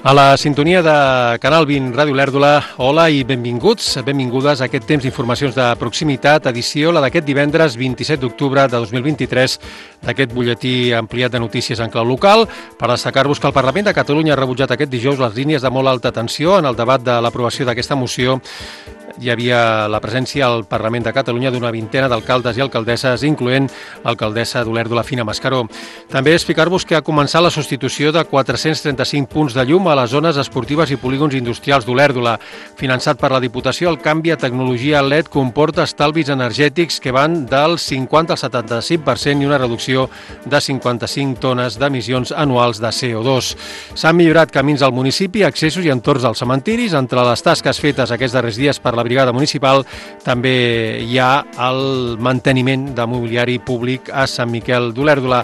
A la sintonia de Canal 20 Ràdio Olèrdola, hola i benvinguts, benvingudes a aquest temps d'informacions de proximitat, edició la d'aquest divendres 27 d'octubre de 2023, d'aquest butlletí ampliat de notícies en clau local, per destacar-vos que el Parlament de Catalunya ha rebutjat aquest dijous les línies de molt alta tensió en el debat de l'aprovació d'aquesta moció. Hi havia la presència al Parlament de Catalunya d'una vintena d'alcaldes i alcaldesses, incloent l'alcaldessa d'Olèrdola, Fina Mascaró. També explicar-vos que ha començat la substitució de 435 punts de llum a les zones esportives i polígons industrials d'Olèrdola. Finançat per la Diputació, el canvi a tecnologia LED comporta estalvis energètics que van del 50 al 75% i una reducció de 55 tones d'emissions anuals de CO2. S'han millorat camins al municipi, accessos i entorns als cementiris. Entre les tasques fetes aquests darrers dies per la Brigada Municipal també hi ha el manteniment de mobiliari públic a Sant Miquel d'Olèrdola.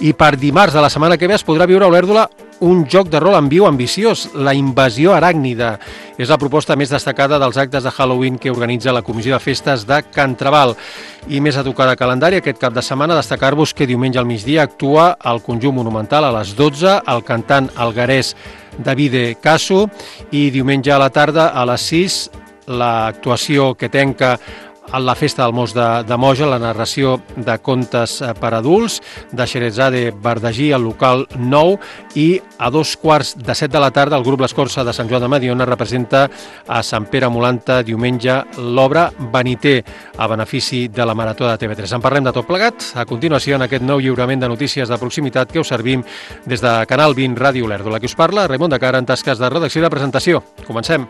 I per dimarts de la setmana que ve es podrà viure a Olèrdola un joc de rol en viu ambiciós, la Invasió Aràcnida. És la proposta més destacada dels actes de Halloween que organitza la Comissió de Festes de Can Trabal. I més a tocar de calendari, aquest cap de setmana, destacar-vos que diumenge al migdia actua al Conjunt Monumental a les 12, el cantant alguerès Davide Caso, i diumenge a la tarda a les 6, l'actuació que tanca a la Festa del Mos de Moja, la narració de contes per adults de Xerezade Bardagí al local 9, i a 2:15 de la tarda el grup L'Escorça de Sant Joan de Mediona representa a Sant Pere Molanta diumenge l'obra Beniter a benefici de la Marató de TV3. En parlem de tot plegat a continuació en aquest nou lliurament de notícies de proximitat que us servim des de Canal 20 Ràdio Olèrdola. Qui us parla, Raimon de Cara, en tasques de redacció i de presentació. Comencem.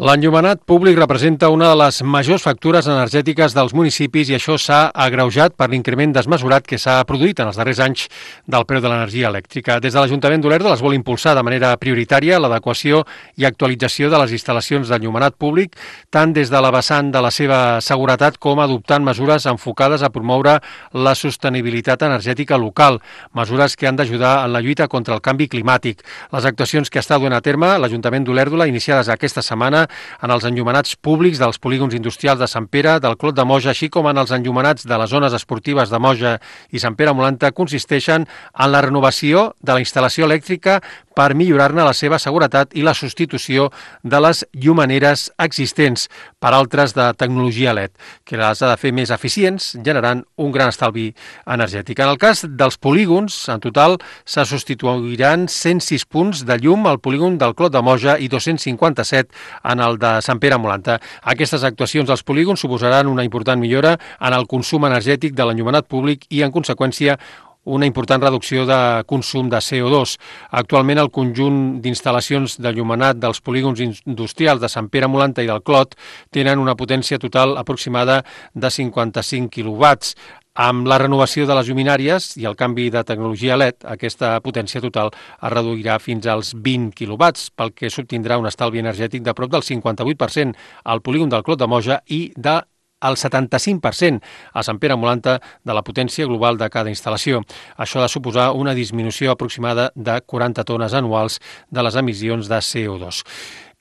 L'enllumenat públic representa una de les majors factures energètiques dels municipis i això s'ha agreujat per l'increment desmesurat que s'ha produït en els darrers anys del preu de l'energia elèctrica. Des de l'Ajuntament d'Olèrdola es vol impulsar de manera prioritària l'adequació i actualització de les instal·lacions d'enllumenat públic, tant des de la vessant de la seva seguretat com adoptant mesures enfocades a promoure la sostenibilitat energètica local, mesures que han d'ajudar en la lluita contra el canvi climàtic. Les actuacions que està duent a terme l'Ajuntament d'Olèrdola, iniciades aquesta setmana, en els enllumenats públics dels polígons industrials de Sant Pere, del Clot de Moja, així com en els enllumenats de les zones esportives de Moja i Sant Pere Molanta, consisteixen en la renovació de la instal·lació elèctrica per millorar-ne la seva seguretat i la substitució de les llumeneres existents per altres de tecnologia LED, que les ha de fer més eficients, generant un gran estalvi energètic. En el cas dels polígons, en total se substituiran 106 punts de llum al polígon del Clot de Moja i 257 en el de Sant Pere Molanta. Aquestes actuacions als polígons suposaran una important millora en el consum energètic de l'enllumenat públic i, en conseqüència, una important reducció de consum de CO2. Actualment, el conjunt d'instal·lacions d'enllumenat dels polígons industrials de Sant Pere Molanta i del Clot tenen una potència total aproximada de 55 quilowatts. Amb la renovació de les lluminàries i el canvi de tecnologia LED, aquesta potència total es reduirà fins als 20 quilowatts, pel que s'obtindrà un estalvi energètic de prop del 58% al polígon del Clot de Moja i del 75% a Sant Pere Molanta de la potència global de cada instal·lació. Això ha de suposar una disminució aproximada de 40 tones anuals de les emissions de CO2.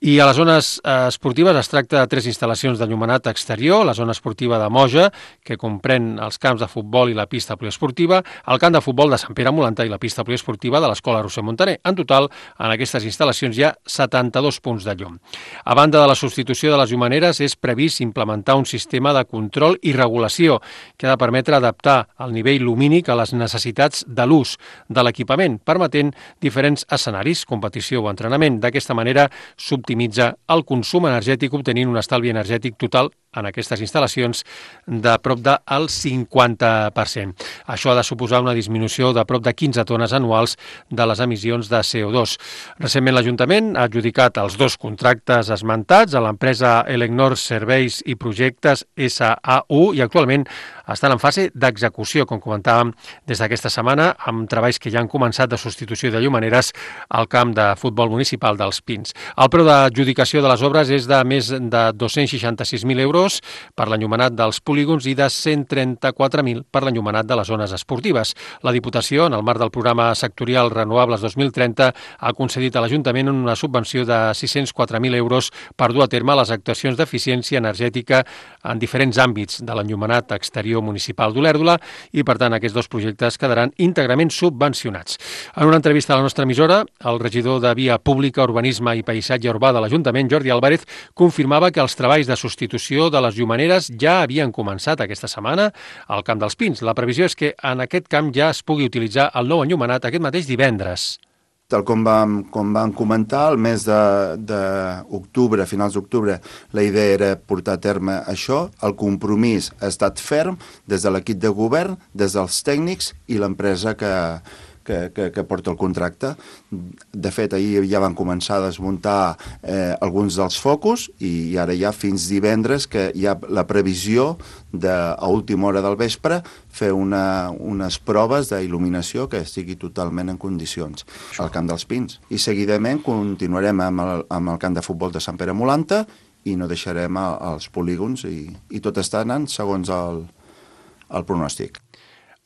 I a les zones esportives es tracta de 3 instal·lacions d'enllumenat exterior, la zona esportiva de Moja, que comprèn els camps de futbol i la pista poliesportiva, el camp de futbol de Sant Pere Molanta i la pista poliesportiva de l'Escola Roser Montaner. En total, en aquestes instal·lacions hi ha 72 punts de llum. A banda de la substitució de les llumeneres, és previst implementar un sistema de control i regulació que ha de permetre adaptar el nivell lumínic a les necessitats de l'ús de l'equipament, permetent diferents escenaris, competició o entrenament. D'aquesta manera, optimitza el consum energètic, obtenint un estalvi energètic total en aquestes instal·lacions de prop del 50%. Això ha de suposar una disminució de prop de 15 tones anuals de les emissions de CO2. Recentment l'Ajuntament ha adjudicat els 2 contractes esmentats a l'empresa Elecnor Serveis i Projectes SAU i actualment estan en fase d'execució, com comentàvem des d'aquesta setmana, amb treballs que ja han començat de substitució de llumaneres al camp de futbol municipal dels Pins. El preu d'adjudicació de les obres és de més de 266.000 euros per l'enllumenat dels polígons i de 134.000 per l'enllumenat de les zones esportives. La Diputació, en el marc del programa sectorial Renovables 2030, ha concedit a l'Ajuntament una subvenció de 604.000 euros per dur a terme les actuacions d'eficiència energètica en diferents àmbits de l'enllumenat exterior municipal d'Olèrdola i, per tant, aquests dos projectes quedaran íntegrament subvencionats. En una entrevista a la nostra emissora, el regidor de Via Pública, Urbanisme i Paisatge Urbà de l'Ajuntament, Jordi Álvarez, confirmava que els treballs de substitució de les llumaneres ja havien començat aquesta setmana al Camp dels Pins. La previsió és que en aquest camp ja es pugui utilitzar el nou enllumenat aquest mateix divendres. Tal com vam comentar, el mes d'octubre, finals d'octubre, la idea era portar a terme això. El compromís ha estat ferm des de l'equip de govern, des dels tècnics i l'empresa que porta el contracte. De fet, ahir ja van començar a desmuntar alguns dels focus i ara ja fins divendres que hi ha la previsió a última hora del vespre fer unes proves d'il·luminació que estigui totalment en condicions al Camp dels Pins. I seguidament continuarem amb el camp de futbol de Sant Pere Molanta i no deixarem els polígons i tot està anant segons el pronòstic.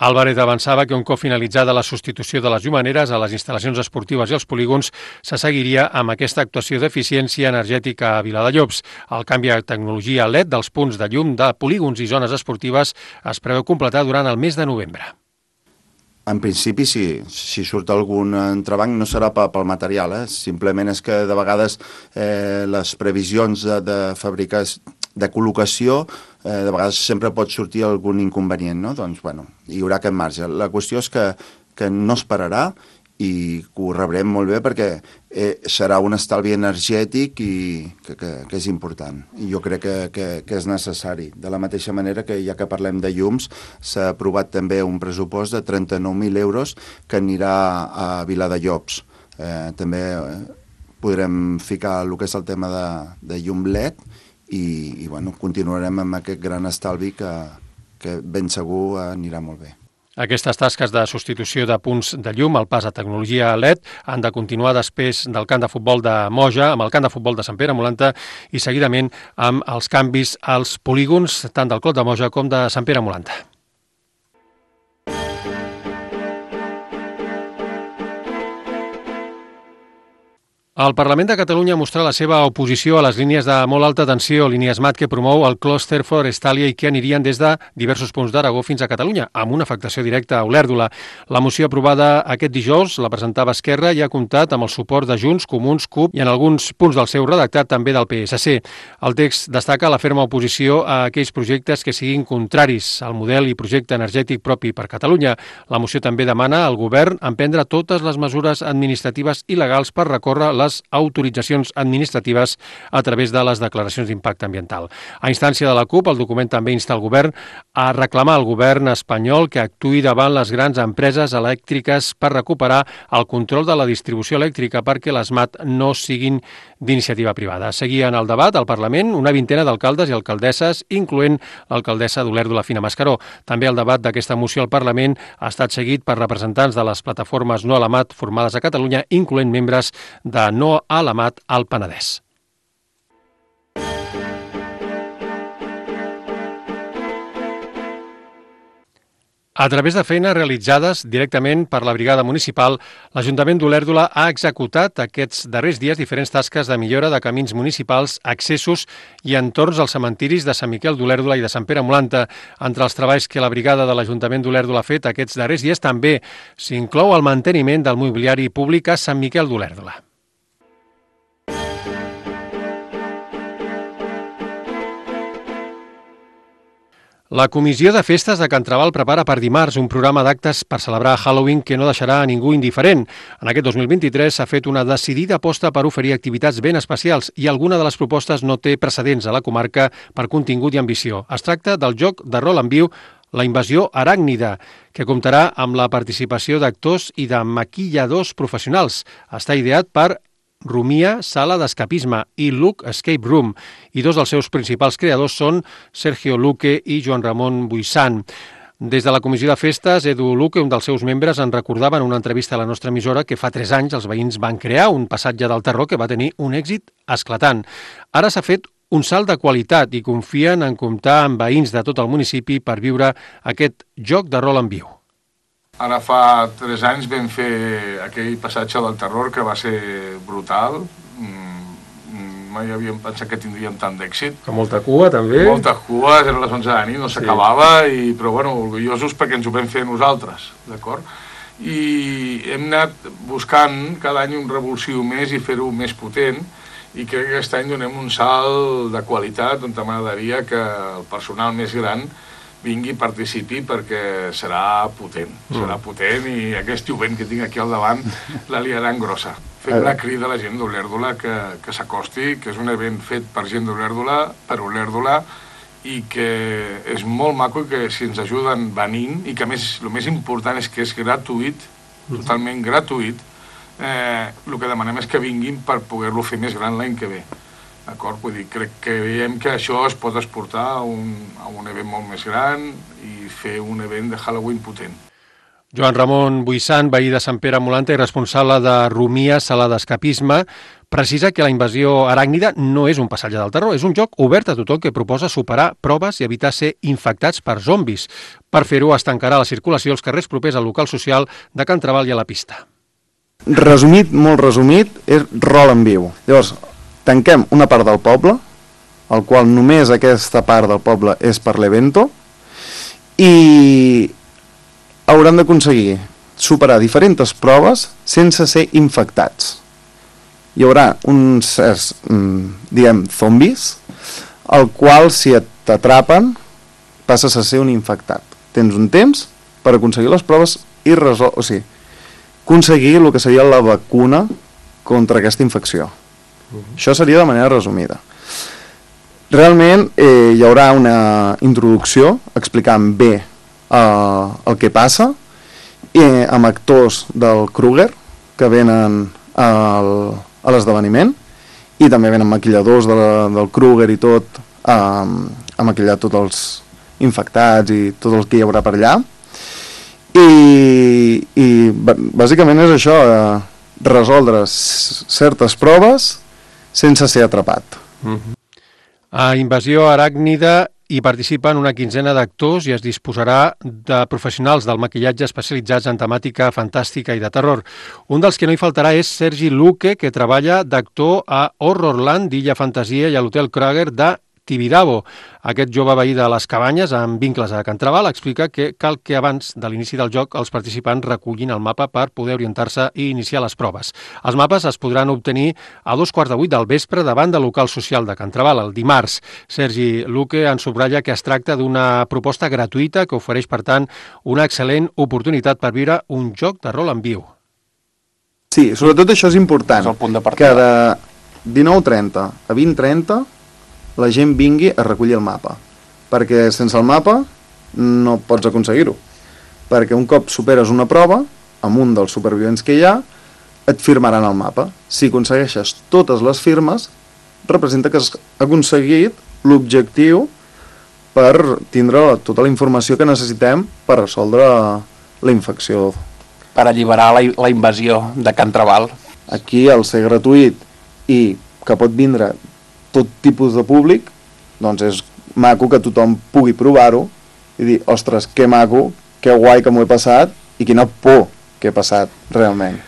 Álvarez avançava que un cop finalitzada la substitució de les llumaneres a les instal·lacions esportives i els polígons se seguiria amb aquesta actuació d'eficiència energètica a Viladellobs. El canvi de tecnologia LED dels punts de llum de polígons i zones esportives es preveu completar durant el mes de novembre. En principi, si surt algun entrebanc no serà pel material, simplement és que de vegades les previsions de fabricació, de col·locació, de vegades sempre pot sortir algun inconvenient, no? Doncs, bueno, hi haurà aquest marge. La qüestió és que no es pararà i que ho rebrem molt bé perquè serà un estalvi energètic i que és important. I jo crec que és necessari. De la mateixa manera que, ja que parlem de llums, s'ha aprovat també un pressupost de 39.000 euros que anirà a Viladellobs. També podrem ficar el que és el tema de llum LED i bueno, continuarem amb aquest gran estalvi que ben segur anirà molt bé. Aquestes tasques de substitució de punts de llum al pas a tecnologia LED han de continuar després del camp de futbol de Moja, amb el camp de futbol de Sant Pere Molanta i seguidament amb els canvis als polígons tant del Clot de Moja com de Sant Pere Molanta. El Parlament de Catalunya mostrà la seva oposició a les línies de molt alta tensió, línies MAT que promou el clúster Forestalia i que anirien des de diversos punts d'Aragó fins a Catalunya, amb una afectació directa a Olèrdola. La moció aprovada aquest dijous la presentava Esquerra i ha comptat amb el suport de Junts, Comuns, CUP i en alguns punts del seu redactat també del PSC. El text destaca la ferma oposició a aquells projectes que siguin contraris al model i projecte energètic propi per Catalunya. La moció també demana al govern emprendre totes les mesures administratives i legals per recórrer les autoritzacions administratives a través de les declaracions d'impacte ambiental. A instància de la CUP, el document també insta el govern a reclamar al govern espanyol que actuï davant les grans empreses elèctriques per recuperar el control de la distribució elèctrica perquè les MAT no siguin d'iniciativa privada. Seguien el debat al Parlament una vintena d'alcaldes i alcaldesses, incloent l'alcaldessa d'Olèrdola, Fina Mascaró. També el debat d'aquesta moció al Parlament ha estat seguit per representants de les plataformes No a la MAT formades a Catalunya, incloent membres de No a la MAT al Penedès. A través de feines realitzades directament per la brigada municipal, l'Ajuntament d'Olèrdola ha executat aquests darrers dies diferents tasques de millora de camins municipals, accessos i entorns als cementiris de Sant Miquel d'Olèrdola i de Sant Pere Molanta. Entre els treballs que la brigada de l'Ajuntament d'Olèrdola ha fet aquests darrers dies també s'inclou el manteniment del mobiliari públic a Sant Miquel d'Olèrdola. La Comissió de Festes de Can Trabal prepara per dimarts un programa d'actes per celebrar Halloween que no deixarà a ningú indiferent. En aquest 2023 s'ha fet una decidida aposta per oferir activitats ben especials i alguna de les propostes no té precedents a la comarca per contingut i ambició. Es tracta del joc de rol en viu La Invasió Aràcnida, que comptarà amb la participació d'actors i de maquilladors professionals. Està ideat per Rumia, sala d'escapisme, i Luke Escape Room, i dos dels seus principals creadors són Sergio Luque i Joan Ramon Buissan. Des de la comissió de festes, Edu Luque, un dels seus membres, en recordava en una entrevista a la nostra emissora que fa 3 anys els veïns van crear un passatge del terror que va tenir un èxit esclatant. Ara s'ha fet un salt de qualitat i confien en comptar amb veïns de tot el municipi per viure aquest joc de rol en viu. Ara fa 3 anys vam fer aquell passatge del terror que va ser brutal. Mai havíem pensat que tindríem tant d'èxit. Amb molta cua, també. Molta cua, eren les 11 de la nit, no s'acabava, però bueno, orgullosos perquè ens ho vam fer nosaltres, d'acord? I hem anat buscant cada any un revulsiu més i fer-ho més potent, i crec que aquest any donem un salt de qualitat on m'agradaria que el personal més gran vingui i participi perquè serà potent. Serà potent i aquest jovent que tinc aquí al davant la liaran grossa. Fem una crida a la gent d'Olèrdola que s'acosti, que és un event fet per gent d'Olèrdola, per Olèrdola, i que és molt maco i que si ens ajuden venint, i que a més el més important és que és gratuït, totalment gratuït, el que demanem és que vinguin per poder-lo fer més gran l'any que ve. D'acord? Vull dir, crec que veiem que això es pot exportar a un event molt més gran i fer un event de Halloween potent. Joan Ramon Buissan, veí de Sant Pere Molanta i responsable de Rumia, sala d'escapisme, precisa que la invasió aràcnida no és un passatge del terror, és un joc obert a tothom que proposa superar proves i evitar ser infectats per zombis. Per fer-ho, es tancarà la circulació als carrers propers al local social de Can Trabal i a la pista. Resumit, molt resumit, és rol en viu. Llavors, tanquem una part del poble, el qual només aquesta part del poble és per l'evento, i hauran d'aconseguir superar diferents proves sense ser infectats. Hi haurà uns certs, zombis, el qual, si t'atrapen, passes a ser un infectat. Tens un temps per aconseguir les proves i aconseguir el que seria la vacuna contra aquesta infecció. Això seria de manera resumida. Realment hi haurà una introducció explicant bé el que passa, amb actors del Kruger que venen a l'esdeveniment, i també venen maquilladors del Kruger i tot, a maquillar tots els infectats i tot el que hi haurà per allà. I bàsicament és això, resoldre certes proves sense ser atrapat. A Invasió Aràcnida hi participen una quinzena d'actors i es disposarà de professionals del maquillatge especialitzats en temàtica fantàstica i de terror. Un dels que no hi faltarà és Sergi Luque, que treballa d'actor a Horrorland d'Illa Fantasia i a l'Hotel Kruger de Tibidabo. Aquest jove veí de les Cabanyes, amb vincles a Can Trabal, explica que cal que abans de l'inici del joc els participants recullin el mapa per poder orientar-se i iniciar les proves. Els mapes es podran obtenir a 7:15 del vespre davant del local social de Can Trabal, el dimarts. Sergi Luque en subratlla que es tracta d'una proposta gratuïta que ofereix, per tant, una excel·lent oportunitat per viure un joc de rol en viu. Sí, sobretot això és important. És el punt de partida. Que de 19:30 a 20:30 la gent vingui a recollir el mapa, perquè sense el mapa no pots aconseguir-ho, perquè un cop superes una prova, amb un dels supervivents que hi ha, et firmaran el mapa. Si aconsegueixes totes les firmes, representa que has aconseguit l'objectiu per tindre tota la informació que necessitem per resoldre la infecció. Per alliberar la invasió de Can Trabal. Aquí, al ser gratuït i que pot vindre tot tipus de públic, doncs és maco que tothom pugui provar-ho i dir, ostres, que maco, que guai que m'ho he passat i quina por que he passat realment.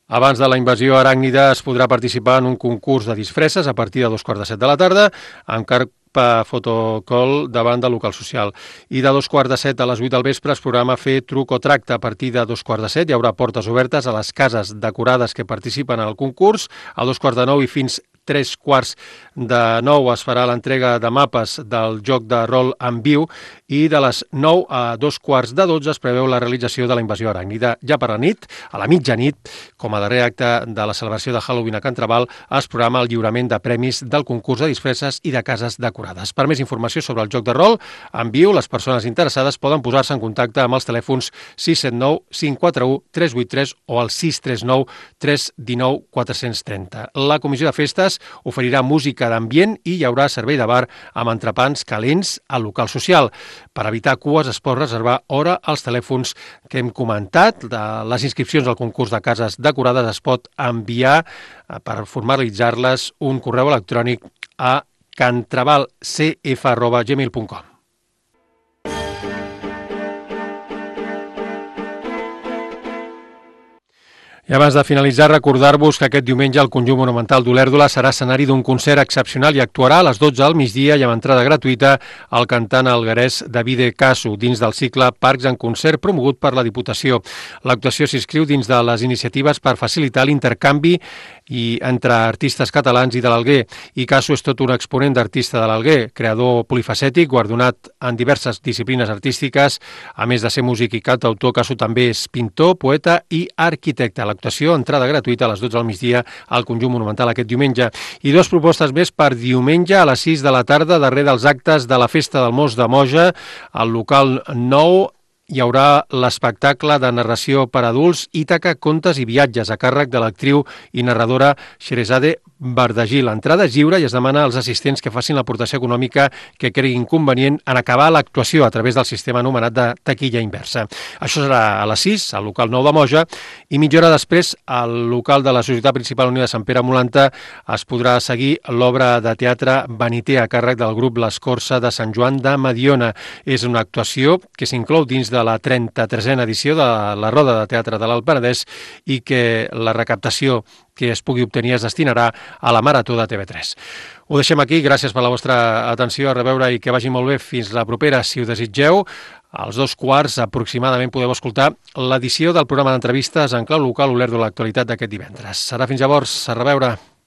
Abans de la invasió aràcnida es podrà participar en un concurs de disfresses a partir de 7:15 de la tarda, amb carpa fotocall davant del local social. I de 7:15 a les 8 del vespre es programa fer truc o tracte. A partir de 7:15 hi haurà portes obertes a les cases decorades que participen al concurs. A 9:15 i fins 3:15 es farà l'entrega de mapes del joc de rol en viu i de les 9 a 2:15 es preveu la realització de la invasió aràcnida. Ja per la nit, a la mitjanit, com a darrer acte de la celebració de Halloween a Can Trabal, es programa el lliurament de premis del concurs de disfresses i de cases decorades. Per més informació sobre el joc de rol en viu, les persones interessades poden posar-se en contacte amb els telèfons 679 541 383 o al 639 319 430. La Comissió de Festes oferirà música d'ambient i hi haurà servei de bar amb entrepans calents al local social. Per evitar cues es pot reservar hora als telèfons que hem comentat. Les inscripcions al concurs de cases decorades es pot enviar per formalitzar-les un correu electrònic a cantrabalcf@gmail.com. I abans de finalitzar, recordar-vos que aquest diumenge el Conjunt Monumental d'Olèrdola serà escenari d'un concert excepcional i actuarà a les 12 al migdia i amb entrada gratuïta el cantant alguerès Davide Casu, dins del cicle Parcs en Concert promogut per la Diputació. L'actuació s'inscriu dins de les iniciatives per facilitar l'intercanvi entre artistes catalans i de l'Alguer. I Casu és tot un exponent d'artista de l'Alguer, creador polifacètic, guardonat en diverses disciplines artístiques. A més de ser músic i cantautor, Casu també és pintor, poeta i arquitecte. L'actuació, entrada gratuïta a les 12 al migdia al Conjunt Monumental aquest diumenge. I dues propostes més per diumenge a les 6 de la tarda, darrere dels actes de la Festa del Mos de Moja, al local 9, hi haurà l'espectacle de narració per adults Ítaca, contes i viatges a càrrec de l'actriu i narradora Sheresade Bardagí. L'entrada és lliure i es demana als assistents que facin l'aportació econòmica que creguin convenient en acabar l'actuació a través del sistema anomenat de taquilla inversa. Això serà a les 6, al local 9 de Moja, i mitja hora després, al local de la Societat Principal Unida de Sant Pere Molanta, es podrà seguir l'obra de teatre Vanité a càrrec del grup L'Escorça de Sant Joan de Mediona. És una actuació que s'inclou dins de la 33a edició de la Roda de Teatre de l'Alt Penedès i que la recaptació que es pugui obtenir es destinarà a la Marató de TV3. Ho deixem aquí, gràcies per la vostra atenció, a reveure i que vagi molt bé. Fins la propera, si ho desitgeu. Als 2:15 aproximadament podeu escoltar l'edició del programa d'entrevistes en clau local Olèrdola, l'actualitat d'aquest divendres. Serà fins llavors, a reveure.